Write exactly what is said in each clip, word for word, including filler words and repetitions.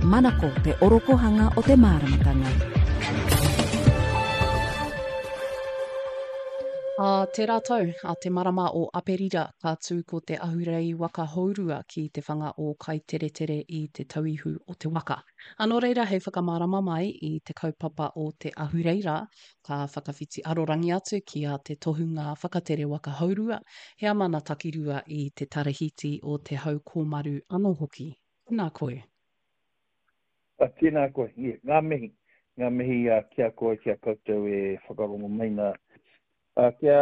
Manako te orokohanga o te māramatanga. Ā tērā tau, ā te marama o Aperira, ka tū ko te ahurei waka hourua ki te whanga o Kaiteretere i Te Tauihu o te Waka. Ā, nō reira hei whakamārama mai i te kaupapa o te ahurei rā, ka whakawhiti arorangi atu ki a Te Tohunga Whakatere Waka Hourua, heamana takirua i te Tarahiti o Te Hau Kōmaru anō hoki. Tēnā koe. A, tēnā koe, yeah, ngā mihi, ngā mihi uh, ki a koe, ki a koutou e whakarongo mai nā. Uh, kia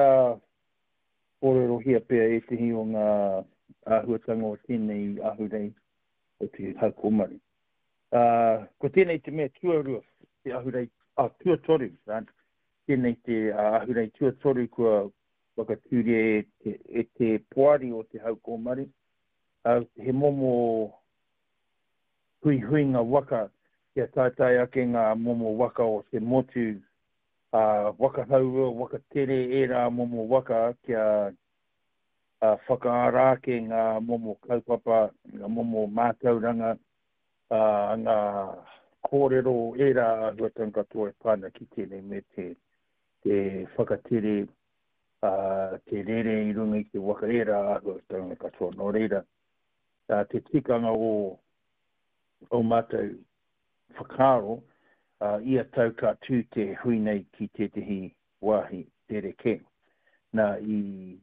kōrerohia pea ētehi o ngā āhuatanga o tēnei ahurei o te Hau Kōmaru. Uh, ko tēnei te mea tuarua, te ahurei, ah, tuatoru, right? Tēnei te uh, ahurei tuatoru kua whakatūria e te, e te poari o te Hau Kōmaru. Uh, he momo huihuinga waka kia taetae ake ngā momo waka o te motu, uh, waka haurua, waka tere, ērā momo waka kia uh, whakaara ake ngā momo kaupapa, ngā momo mātauranga, uh, ngā kōrero, ērā āhuatanga katoa e pā ana ki tēnei me te, te whakatere, uh, te rere i runga i te waka, ērā āhuatanga katoa. Nō reira, uh, te tikanga o o mātou whakaaro, uh, ia tau ka tū te hui nei ki tētehi wāhi rerekē. Nā, i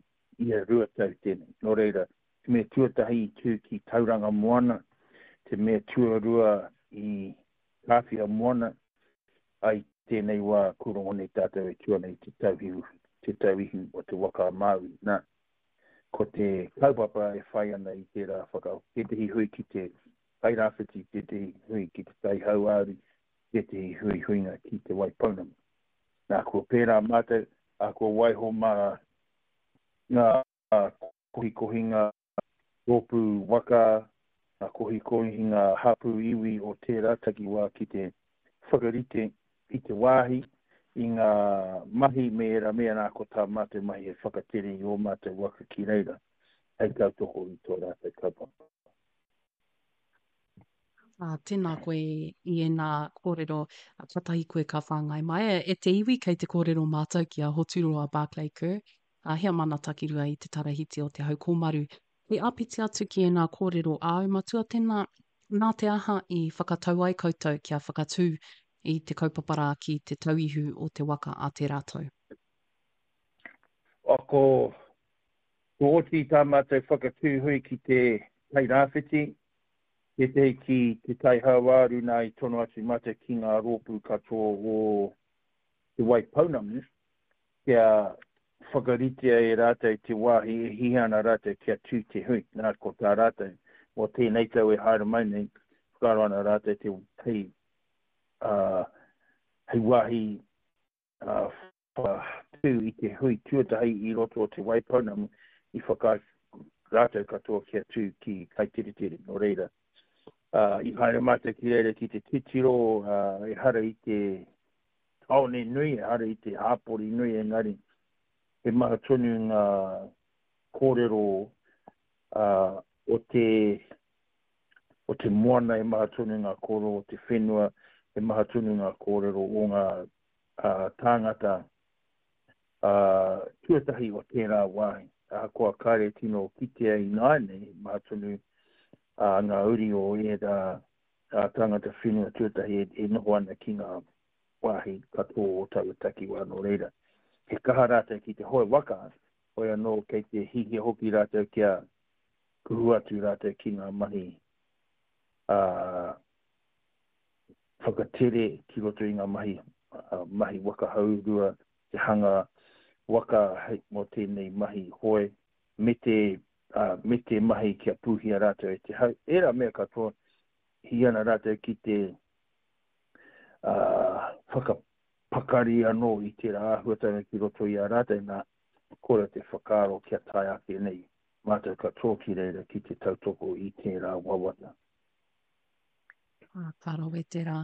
ia rua tau tēnei. Nō reira, te mea tuatahi i tū ki Tauranga Moana, te mea tuarua i Kāwhia Moana, ai tēnei wā kua rongo nei tātou e tū ana i te tauihu, te tauihu o te waka a Māui. Nā, ko te kaupapa e whai ana i tērā whaka, tētehi hui ki te Tairāwhiti, tētehi hui ki te Tai Hauāuru, tētehi hui huinga ki te Waipounamu. Nā, kua pērā mātou, a kua waiho mā ngā kohikohinga rōpū waka, ngā kohikohinga hapū iwi o tērā takiwā ki te whakarite i te wāhi, i ngā mahi me ērā mea, nā, ko tā mātou mahi e whakatere i ō mātou waka ki reira, hei tautoko i tō rātou kaupapa. Ā, tēnā koe i ēnā kōrero, katahi koe ka whāngai mai. E te iwi, kei te kōrero mātou ki a Hoturoa Barclay Kerr, ā, heamana takirua i te Tarahiti o Te Hau Kōmaru. Hei āpiti atu ki ēnā kōrero āu matua, tēnā, nā te aha i whakatau ai koutou kia whakatū i te kaupapa rā ki Te Tauihu o te Waka a tērā tau? Ko, ko oti tā mātou whakatū hui ki te Tairāwhiti, tētehi ki Te Tai Hauāuru, nā i tono atu mātou ki ngā rōpū katoa o Te Waipounamu kia whakaritea e rātou te wāhi e hiahia ana rātou kia tū te hui. Nā, ko tā rātou, mō tēnei tau e haere mai nei, whakaaro ana rātou te hei, uh, hei wāhi uh, whakatū i te hui tuatahi i roto o Te Waipounamu i whakaae rātou katoa kia tū ki Kaiteretere. Nō reira, uh, i haere mātou ki reira ki te titiro, uh, ehara i te tāone nui, ehara i te hāpori nui, engari he maha tonu ngā kōrero uh, o te o te moana, he maha tonu ngā kōrero o te whenua, he maha tonu ngā kōrero o ngā uh, tāngata uh, tuatahi o tērā wāhi. Ahakoa kāre tino kitea ināianei, he maha tonu uh, ngā uri o ērā uh, tāngata whenua tuatahi e, e noho ana ki ngā wāhi katoa o taua takiwā. Nō reira, he kaha rātou ki te hoe waka, hoi anō kei te hihia hoki rātou kia kuhu atu rātou ki ngā mahi uh, whakatere ki roto i ngā mahi, uh, mahi waka haurua, te hanga waka hei mō tēnei mahi hoe, me te, uh, me te mahi kia pūhia rātou e te hau. Ērā mea katoa, hi ana rātou ki te uh, whakapakari anō i tērā āhuatanga ki roto i a rātou, nā, kore te whakaaro kia tae ake nei mātou katoa ki reira ki te tautoko i tērā wawata. Ah, ka rawe tērā.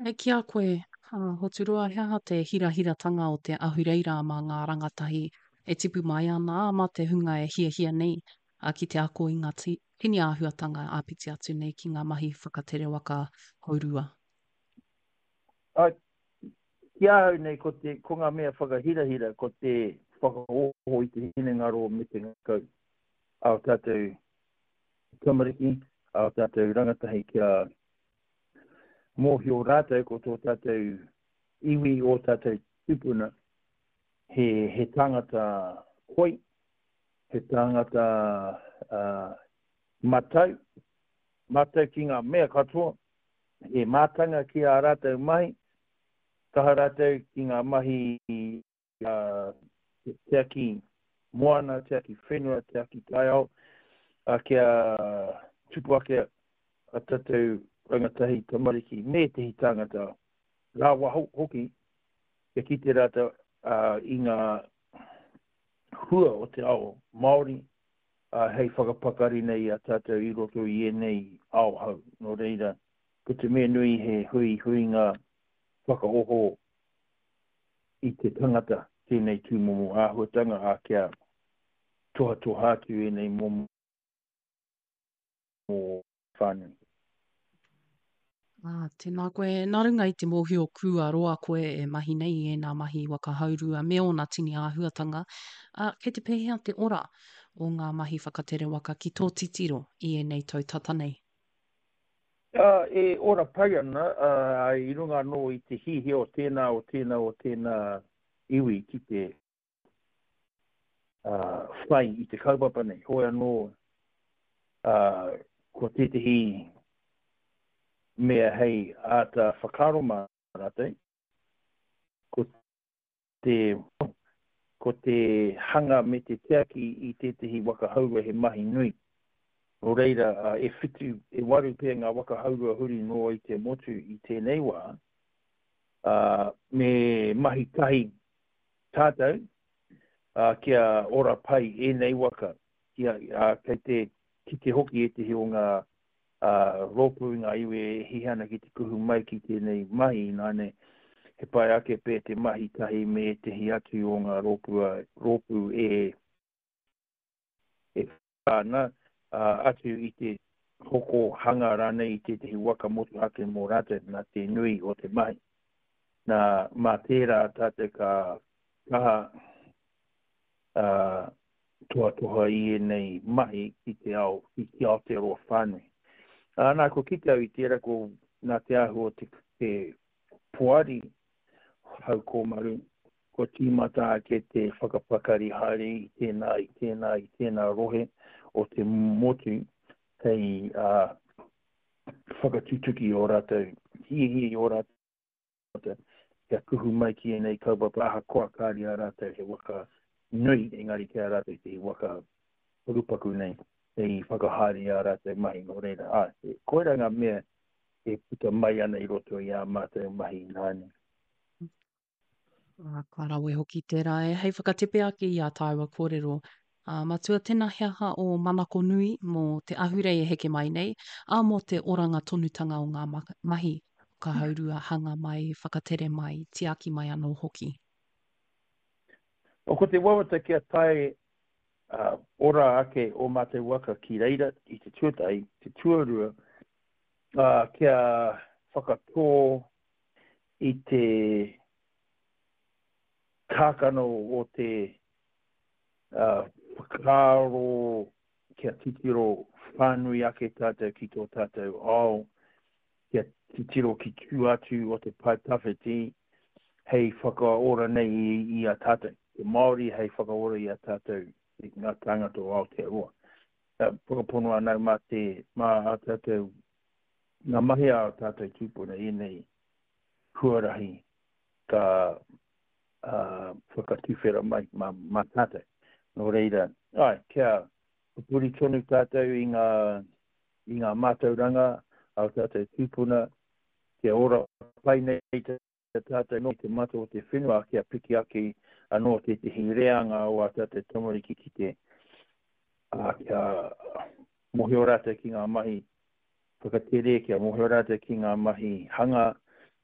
E ki a koe, ah, Hoturoa, he aha te hirahiratanga o te ahurei rā mā ngā rangatahi e tipu mai ana, mā te hunga e hiahia nei ah, ki te ako i ngā, ti, tini āhuatanga āpiti atu nei ki ngā mahi whakatere waka hourua? Ai, ki ahau nei, ko, te, ko ngā mea whakahirahira, ko te whakaoho i te hinengaro me te ngākau a o tātou tamariki, a o tātou rangatahi kia mōhio rātou ko tō tātou iwi o tātou tupuna he, he tangata koi, he tangata uh, matau, matau ki ngā mea katoa, he mātanga ki a rātou mahi, kaha rātou ki ngā mahi uh, tiaki moana, tiaki whenua, tiaki taiao, uh, kia tupu ake a tātou rangatahi tamariki me tehi tāngata rāwa hoki, kia kite rātou uh, i ngā hua o te ao Māori, uh, hei whakapakari nei a tātou i roto i ēnei ao hau. Nō reira, ko te mea nui he hui huinga whakaoho i te tangata tēnei tūmomo āhuatanga a kia tohatoha atu ēnei momo whānui. Ah, tēnā koe. Nā runga i te mōhio kua roa koe e mahi nei i ēnā mahi waka haurua me ōna tini āhuatanga, ah, kei te pēhea te ora o ngā mahi whakatere waka ki tō titiro i ēnei tau tata nei? Uh, e ora pai ana, uh, i runga anō i te hihia o tēnā, o tēnā, o tēnā iwi ki te uh, whai i te kaupapa nei. Hoi anō, uh, ko tētehi mea hei āta whakaaro mā rātou, ko te, ko te hanga me te tiaki i tētehi waka haurua he mahi nui. Nō reira, uh, e whitu, e waru pea ngā waka haurua huri noa i te motu i tēnei wā, uh, me mahi tahi tātou, uh, kia ora pai ēnei waka, kia, uh, kei te kite hoki ētehi o ngā uh, rōpū ngā iwi e hihi ana ki te kuhu mai ki tēnei mahi nāne, he pai ake pē te mahi tahi me ētehi atu o ngā rōpū, rōpū e, e ana, uh, atu i te hoko hanga rānei i tētehi waka motuhake mō rātou nā te nui o te mahi. Nā, mā tērā tātou ka kaha uh, tohatoha i ēnei mahi ki te ao, ki ki Aotearoa whānui. Uh, nā, ko kite au i tērā ko nā te āhua o te, te poari hau kōmaru, ko tīmata ake te whakapakari haere i tēnā, i tēnā, i tēnā rohe o te motu hei uh, whakatutuki o rātou, hiahia i o rātou, kia kuhu mai ki ēnei kaupapa ahakoa kāri a rātou he waka nui, engari ki a rātou te waka pakupaku nei, hei whakahaere i a rātou mahi nō reira. Ā, koirā ngā mea e puta mai ana i roto i ā mātou mahi nāne. Ah, ka rawe hoki tērā e. Hei whakatepe ake i ā tāua kōrero. Uh, matua, tēnā he aha o manako nui mō te ahurei e heke mai nei, ā mō te oranga tonutanga o ngā mahi, ka haurua, hanga mai, whakatere mai, tiaki mai anō hoki. O, ko te wawata kia tae uh, ora ake o mātou waka ki reira i te tuatahi, te tuarua, uh, kia whakatō i te kākano o te uh, whakaaro kia titiro whānui ake tātou ki tō tātou ao, kia titiro ki tū atu o te pae tawhiti hei whakaora nei i, i a tātou. Te Māori hei whakaora i a tātou i ngā tāngata o Aotearoa. Uh, whakapono anau mā te, mā a tātou, ngā mahi a tātou tūpuna ēnei huarahi ka uh, whakatuwhera mai mā, mā tātou. Nō reira, ai, kia pupuri tonu tātou i ngā, i ngā mātauranga a tātou tūpuna, kia ora pai nei tātou no te mata o te whenua, kia piki ake anō tētehi reanga o a tātou tamariki ki te, uh, kia mōhio rātou ki ngā mahi whakatere, kia mōhio rātou ki ngā mahi hanga,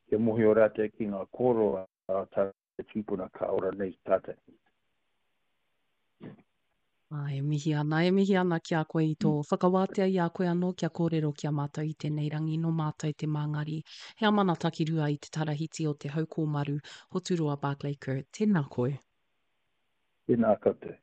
kia mōhio rātou ki ngā kōrero a tātou tūpuna ka ora nei tātou. Ā, e mihi ana, e mihi ana ki a koe i tō whakawātea i a koe anō kia kōrero ki a mātou i tēnei rangi nō mātou te Māngari. He amana takirua i te tarahiti o Te Haukōmaru, Hoturoa Barclay-Kerr, tēnā koe. Tēnā koutou.